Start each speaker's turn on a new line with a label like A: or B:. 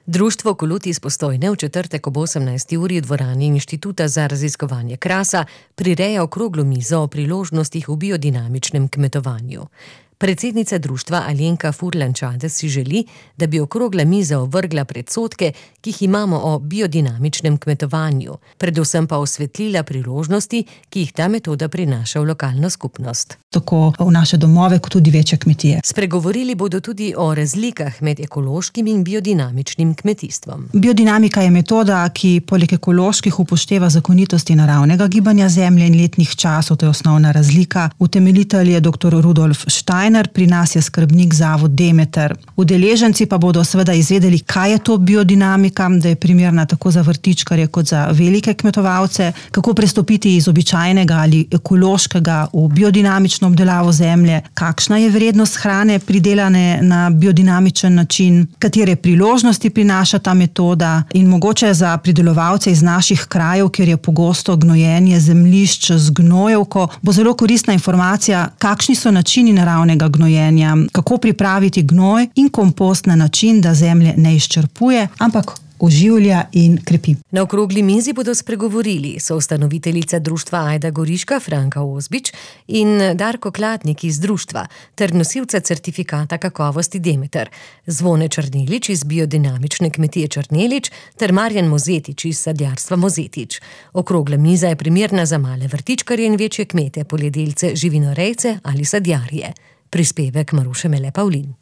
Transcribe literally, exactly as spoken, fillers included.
A: Društvo Kolot iz Postojne v četrtek ob osemnajsti uri v dvorani Inštituta za raziskovanje krasa prireja okroglo mizo o priložnostih v biodinamičnem kmetovanju. Predsednica društva Alenka Furlan-Čades si želi, da bi okrogla miza ovrgla predsodke, ki jih imamo o biodinamičnem kmetovanju, predvsem pa osvetlila priložnosti, ki jih ta metoda prinaša v lokalno skupnost.
B: Tako v naše domove, kot tudi večje kmetije.
A: Spregovorili bodo tudi o razlikah med ekološkim in biodinamičnim kmetijstvom.
B: Biodinamika je metoda, ki poleg ekoloških upošteva zakonitosti naravnega gibanja zemlje in letnih časov, to je osnovna razlika. Utemeljitelj je doktor Rudolf Steiner, pri nas je skrbnik zavod Demeter. Udeleženci pa bodo seveda izvedeli, kaj je to biodinamika, da je primerna tako za vrtičkarje kot za velike kmetovalce, kako prestopiti iz običajnega ali ekološkega v biodinamično obdelavo zemlje, kakšna je vrednost hrane pridelane na biodinamičen način, katere priložnosti prinaša ta metoda in mogoče za pridelovalce iz naših krajev, kjer je pogosto gnojenje zemljišč z gnojevko, bo zelo koristna informacija, kakšni so načini naravnega gnojenja, kako pripraviti gnoj in kompost na način, da zemlje ne izčrpuje, ampak oživlja in krepi.
A: Na okrogli mizi bodo spregovorili soustanoviteljica društva Ajda Goriška Franka Ozbič in Darko Klatnik iz društva ter nosilca certifikata kakovosti Demeter, Zvone Črnelič iz biodinamične kmetije Črnelič ter Marjan Mozetič iz sadjarstva Mozetič. Okrogla miza je primerna za male vrtičkarje in večje kmete, poljedelce, živinorejce ali sadjarje. Prispevek Maruše Mele Pavlin.